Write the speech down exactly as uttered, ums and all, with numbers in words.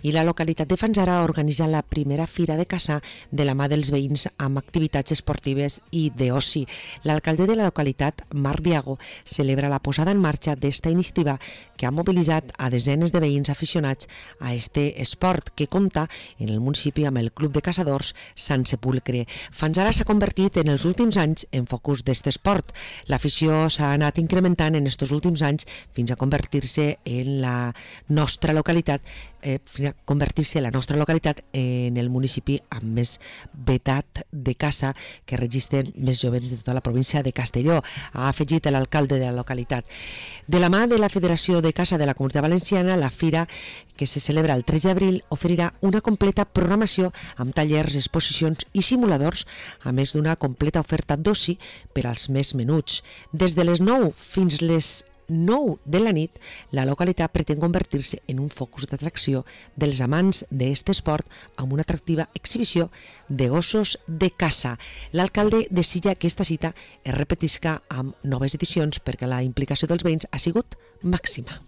i la localitat de Fanzara organitza la primera fira de caça de la mà dels veïns amb activitats esportives i d'oci. L'alcalde de la localitat, Marc Diago, celebra la posada en marxa d'esta iniciativa que ha mobilitzat a desenes de veïns aficionats a este esport que compta en el municipi amb el Club de Caçadors Sant Sepulcre. Fanzara s'ha convertit en els últims anys en focus d'aquest esport. L'afició s'ha anat incrementant en estos últims anys fins a convertir-se en la nostra localitat eh, fins a convertir-se la nostra localitat en el municipi amb més vetat de caça que registren més jovents de tota la província de Castelló, ha afegit l'alcalde de la localitat. De la mà de la Federació de Caça de la Comunitat Valenciana, la fira que se celebra el tres d'abril oferirà una completa programació amb tallers, exposicions i simuladors, a més d'una completa oferta d'oci per als més menuts. Des de les nou fins les nou de la nit, la localitat pretén convertir-se en un focus d'atracció dels amants d'aquest esport amb una atractiva exhibició de gossos de caça. L'alcalde desitja que aquesta cita es repetisca amb noves edicions perquè la implicació dels veïns ha sigut màxima.